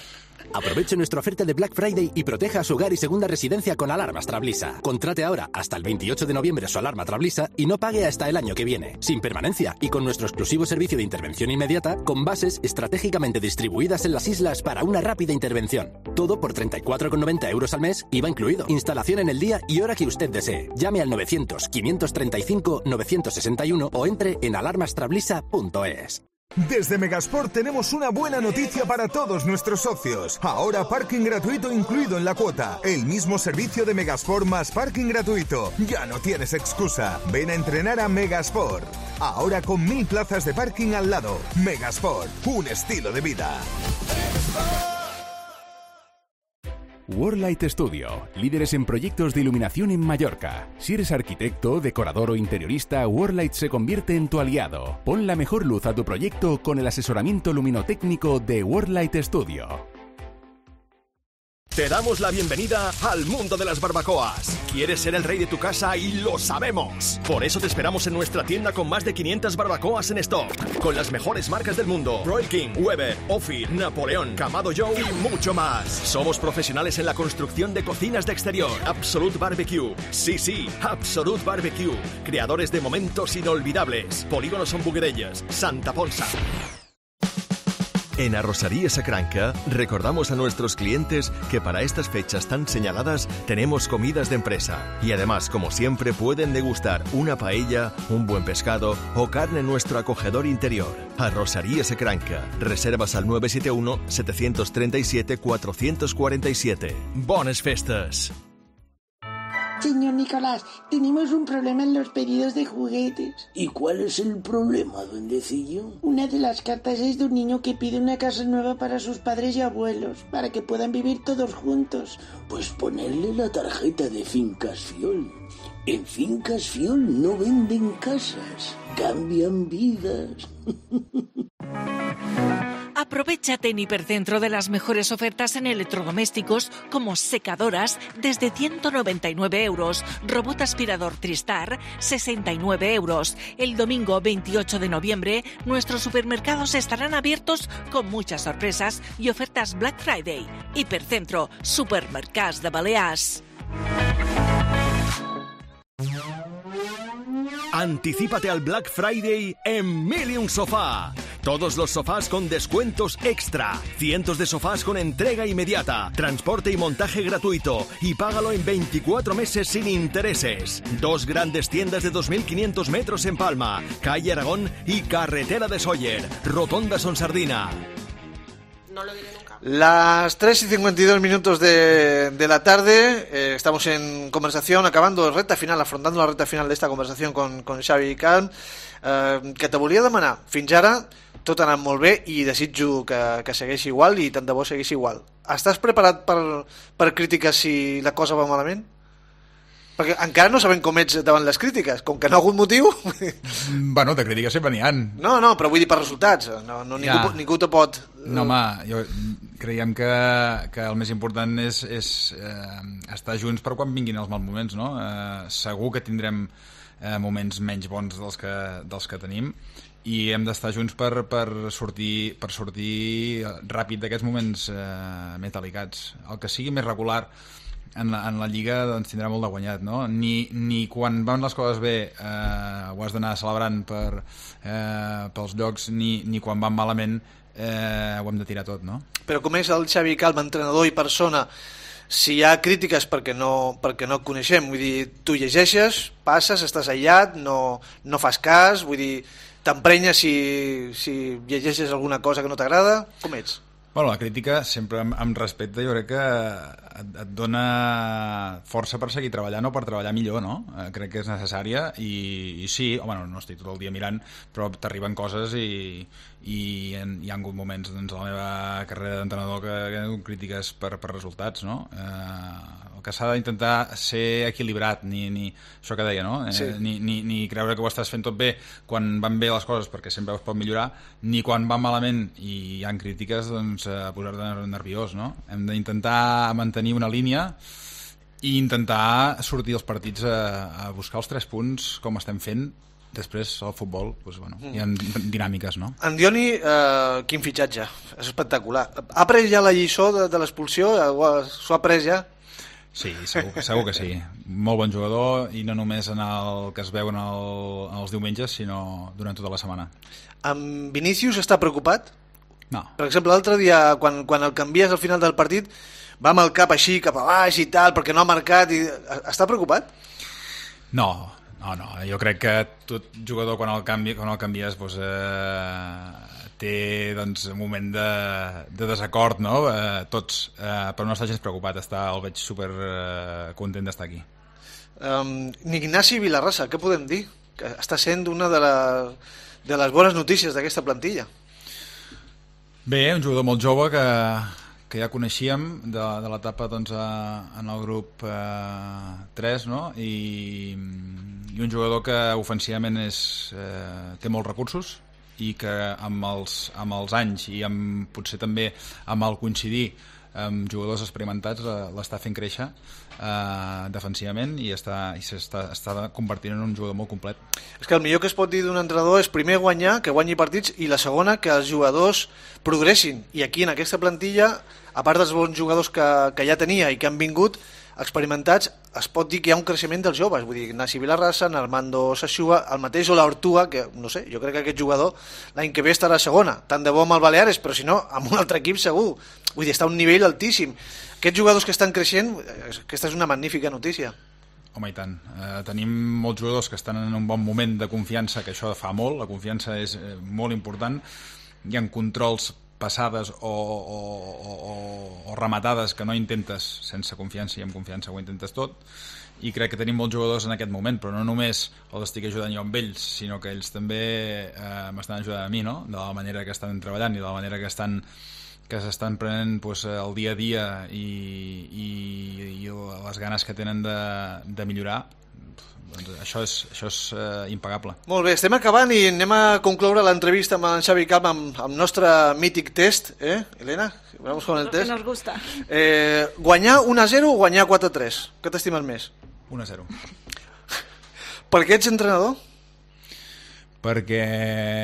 Aproveche nuestra oferta de Black Friday y proteja su hogar y segunda residencia con alarmas Trablisa. Contrate ahora hasta el 28 de noviembre su alarma Trablisa y no pague hasta el año que viene. Sin permanencia y con nuestro exclusivo servicio de intervención inmediata con bases estratégicamente distribuidas en las islas para una rápida intervención. Todo por 34,90 euros al mes, IVA incluido. Instalación en el día y hora que usted desee. Llame al 900-535-961 o entre en alarmastrablisa.es. Desde Megasport tenemos una buena noticia para todos nuestros socios. Ahora parking gratuito incluido en la cuota. El mismo servicio de Megasport más parking gratuito. Ya no tienes excusa. Ven a entrenar a Megasport. Ahora con 1000 plazas de parking al lado. Megasport, un estilo de vida. Worldlight Studio, líderes en proyectos de iluminación en Mallorca. Si eres arquitecto, decorador o interiorista, Worldlight se convierte en tu aliado. Pon la mejor luz a tu proyecto con el asesoramiento luminotécnico de Worldlight Studio. Te damos la bienvenida al mundo de las barbacoas. ¿Quieres ser el rey de tu casa? Y lo sabemos. Por eso te esperamos en nuestra tienda con más de 500 barbacoas en stock. Con las mejores marcas del mundo. Royal King, Weber, Ophir, Napoleón, Kamado Joe y mucho más. Somos profesionales en la construcción de cocinas de exterior. Absolute Barbecue. Sí, Absolute Barbecue. Creadores de momentos inolvidables. Polígono Son Buguerelles, Santa Ponsa. En Arrocería Sacranca recordamos a nuestros clientes que para estas fechas tan señaladas tenemos comidas de empresa y además, como siempre, pueden degustar una paella, un buen pescado o carne en nuestro acogedor interior. Arrocería Sacranca. Reservas al 971 737 447. ¡Bones festes! Señor Nicolás, tenemos un problema en los pedidos de juguetes. ¿Y cuál es el problema, duendecillo? Una de las cartas es de un niño que pide una casa nueva para sus padres y abuelos, para que puedan vivir todos juntos. Pues ponerle la tarjeta de Fincas Fiol. En Fincas Fiol no venden casas, cambian vidas. Aprovéchate en Hipercentro de las mejores ofertas en electrodomésticos como secadoras desde 199 euros, robot aspirador Tristar 69 euros. El domingo 28 de noviembre nuestros supermercados estarán abiertos con muchas sorpresas y ofertas Black Friday. Hipercentro, supermercados de Balears. Anticípate al Black Friday en Milium Sofá. Todos los sofás con descuentos extra. Cientos de sofás con entrega inmediata, transporte y montaje gratuito. Y págalo en 24 meses sin intereses. 2 grandes tiendas de 2.500 metros en Palma, calle Aragón y carretera de Sóller, Rotonda Sonsardina. No lo diré nunca. Las 3:52 minutos de la tarde, estamos en conversación, acabando recta final, afrontando la recta final d'esta conversació con Xavi Cal, que te volia demanar. Fins ara tot ha anat molt bé i desitjo que segueixi igual i tant de bo segueixi igual. Estàs preparat per crítiques si la cosa va malament? Perquè encara no sabem com ets davant les crítiques, com que no ha hagut motiu. Bueno, de crítiques sempre n'hi ha. No, però vull dir per resultats. Ningú te pot... No, home, creiem que el més important és estar junts per quan vinguin els mals moments, no? Segur que tindrem moments menys bons dels que tenim i hem d'estar junts per sortir ràpid d'aquests moments més delicats. El que sigui més regular en la Lliga doncs tindrà molt de guanyat, no? Ni quan van les coses bé ho has d'anar celebrant pels llocs, ni quan van malament ho hem de tirar tot, no? Però com és el Xavi Calma, entrenador i persona, si hi ha crítiques perquè no et coneixem, vull dir, tu llegeixes, passes, estàs aïllat, no fas cas, vull dir, t'emprenyes si llegeixes alguna cosa que no t'agrada, com ets? Bueno, la crítica sempre amb respecte, jo crec que et dona força per seguir treballant o per treballar millor, no? Crec que és necessària i sí, home, no estic tot el dia mirant, però t'arriben coses i hi ha hagut moments doncs, a la meva carrera d'entrenador que he hagut crítiques per resultats, no? El que s'ha d'intentar ser equilibrat, ni això que deia, no? Sí. Ni creure que ho estàs fent tot bé quan van bé les coses, perquè sempre es pot millorar, ni quan van malament i hi ha crítiques, doncs, posar-te nerviós, no? Hem d'intentar mantenir una línia i intentar sortir dels partits a buscar els 3 punts com estem fent. Després al futbol doncs, bueno, hi ha dinàmiques, no? Andioni, quin fitxatge, és espectacular. Ha pres ja la lliçó de l'expulsió? S'ho ha pres ja? Sí, segur que sí. Molt bon jugador i no només en el que es veuen els diumenges, sinó durant tota la setmana. Amb Vinícius està preocupat? No. Per exemple, l'altre dia, quan el canvies al final del partit, va amb el cap així, cap a baix i tal, perquè no ha marcat. Està preocupat? No. Jo crec que tot jugador quan el canvies doncs, té doncs, un moment de desacord, no? Tots, però no està gens preocupat, el veig super content d'estar aquí. Ignasi Vilarrasa, què podem dir? Que està sent una de les bones notícies d'aquesta plantilla. Bé, un jugador molt jove que ja coneixíem de l'etapa doncs, en el grup 3, no? I un jugador que ofensivament té molts recursos i que amb els anys i potser també amb el coincidir amb jugadors experimentats l'està fent créixer defensivament i s'està convertint en un jugador molt complet. És que el millor que es pot dir d'un entrenador és primer guanyar, que guanyi partits, i la segona, que els jugadors progressin. I aquí en aquesta plantilla, a part dels bons jugadors que ja tenia i que han vingut experimentats, es pot dir que hi ha un creixement dels joves. Vull dir, Ignasi Vilarrasa, Armando Sassuba, el mateix Ola Ortua, que no sé, jo crec que aquest jugador l'any que ve estarà a segona, tant de bo amb el Baleares, però si no, amb un altre equip segur. Vull dir, està a un nivell altíssim. Aquests jugadors que estan creixent, aquesta és una magnífica notícia. Home, i tant. Tenim molts jugadors que estan en un bon moment de confiança, que això fa molt, la confiança és molt important. Hi ha controls passades o rematades que no intentes sense confiança, i amb confiança ho intentes tot, i crec que tenim molts jugadors en aquest moment, però no només els estic ajudant jo amb ells, sinó que ells també m'estan ajudant a mi, no? De la manera que estan treballant i de la manera que s'estan prenent doncs, el dia a dia i les ganes que tenen de millorar. Doncs això és impagable. Molt bé, estem acabant i anem a concloure l'entrevista amb en Xavi Camp amb el nostre mític test, Elena? Vamos con el test. Que nos gusta. Guanyar 1-0 o guanyar 4-3? Què t'estimes més? 1-0. Per què ets entrenador? Perquè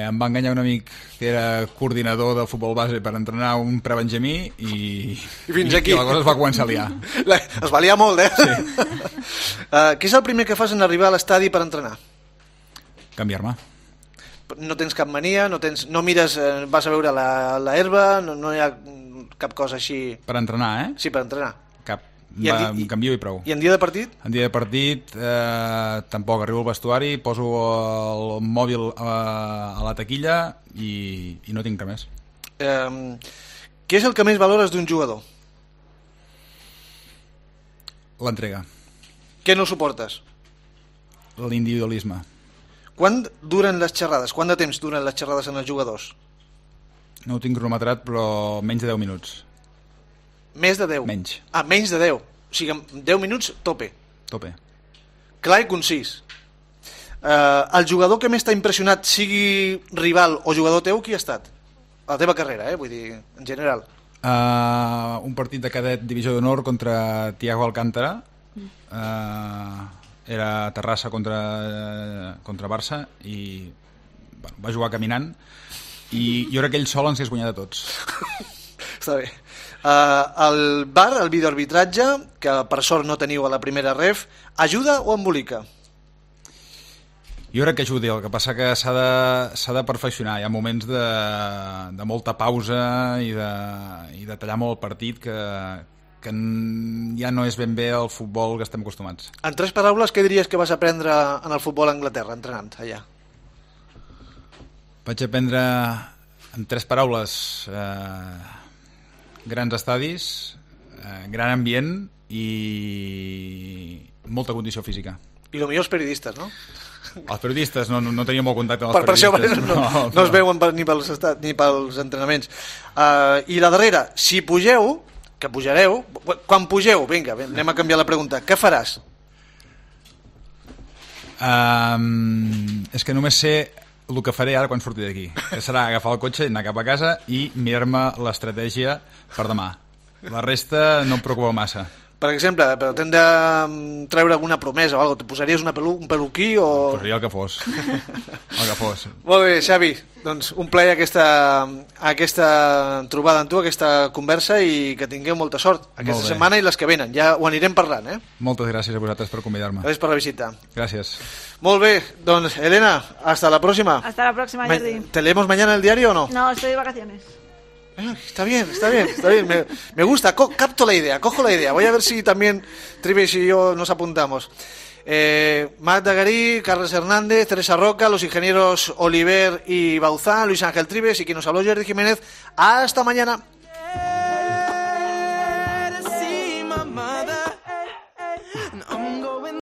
em va enganyar un amic que era coordinador del futbol base per entrenar un prebenjamí i fins aquí. I la cosa es va començar a liar. Es va liar molt, Sí. Què és el primer que fas en arribar a l'estadi per entrenar? Canviar-me. No tens cap mania, no mires, vas a veure la herba, no hi ha cap cosa així... Per entrenar, Sí, per entrenar. Cap. Em canvio i prou. I en dia de partit? En dia de partit tampoc. Arribo al vestuari, poso el mòbil a la taquilla i no tinc res més. Què és el que més valores d'un jugador? L'entrega. Què no suportes? L'individualisme. Quant duren les xerrades? Quant de temps duren les xerrades en els jugadors? No ho tinc cronometrat, però menys de 10 minuts. Més de 10? Menys. Menys de 10. O sigui, 10 minuts, tope. Tope. Clar i concís. El jugador que més t'ha impressionat, sigui rival o jugador teu, qui ha estat? A la teva carrera, vull dir, en general. Un partit de cadet divisió d'honor contra Thiago Alcántara. Era Terrassa contra Barça i va jugar caminant i jo crec que ell sol ens hagués guanyat a tots. Està bé. El VAR, el videoarbitratge, que per sort no teniu a la primera ref, ajuda o embolica? Jo crec que ajudi, el que passa que s'ha de perfeccionar. Hi ha moments de molta pausa i de tallar molt el partit que ja no és ben bé el futbol que estem acostumats. En 3 paraules, què diries que vas aprendre en el futbol a Anglaterra, entrenant allà? Vaig aprendre en 3 paraules grans estadis, gran ambient i molta condició física. I el millor els periodistes, no? Els periodistes, no teníem molt contacte amb els Per periodistes. això no es veuen ni pels entrenaments. I la darrera, si pugeu, que pujareu, quan pugeu, vinga, anem a canviar la pregunta, què faràs? És que només sé el que faré ara quan surti d'aquí, que serà agafar el cotxe, anar cap a casa i mirar-me l'estratègia per demà. La resta no em preocupa massa. Per exemple, pretén de treure alguna promesa o alguna cosa, te posaries un peluquí o... Posaria el que fos. El que fos. Molt bé, Xavi, doncs un plaer aquesta trobada amb tu, aquesta conversa, i que tingueu molta sort aquesta setmana i les que venen. Ja ho anirem parlant, eh? Moltes gràcies a vosaltres per convidar-me. Gràcies per la visita. Gràcies. Molt bé, doncs Elena, hasta la próxima. Hasta la próxima, Jordi. ¿Te leemos mañana el diario o no? No, estoy de vacaciones. Está bien. Me gusta, capto la idea, cojo la idea. Voy a ver si también Trives y yo nos apuntamos. Magda Garí, Carles Hernández, Teresa Roca, los ingenieros Oliver y Bauzá, Luis Ángel Trives y quien nos habló, Jordi Jiménez. Hasta mañana.